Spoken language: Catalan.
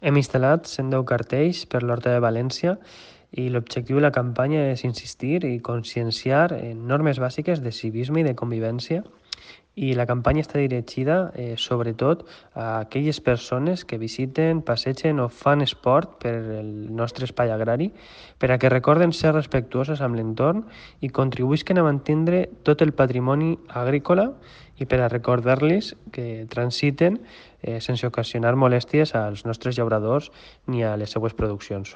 Hem instal·lat 110 cartells per l'Horta de València i l'objectiu de la campanya és insistir i conscienciar en normes bàsiques de civisme i de convivència, i la campanya està dirigida sobretot a aquelles persones que visiten, passegen o fan esport per el nostre espai agrari, per a que recorden ser respectuoses amb l'entorn i contribuïsquen a mantindre tot el patrimoni agrícola, i per a recordar-los que transiten sense ocasionar molèsties als nostres llauradors ni a les seues produccions.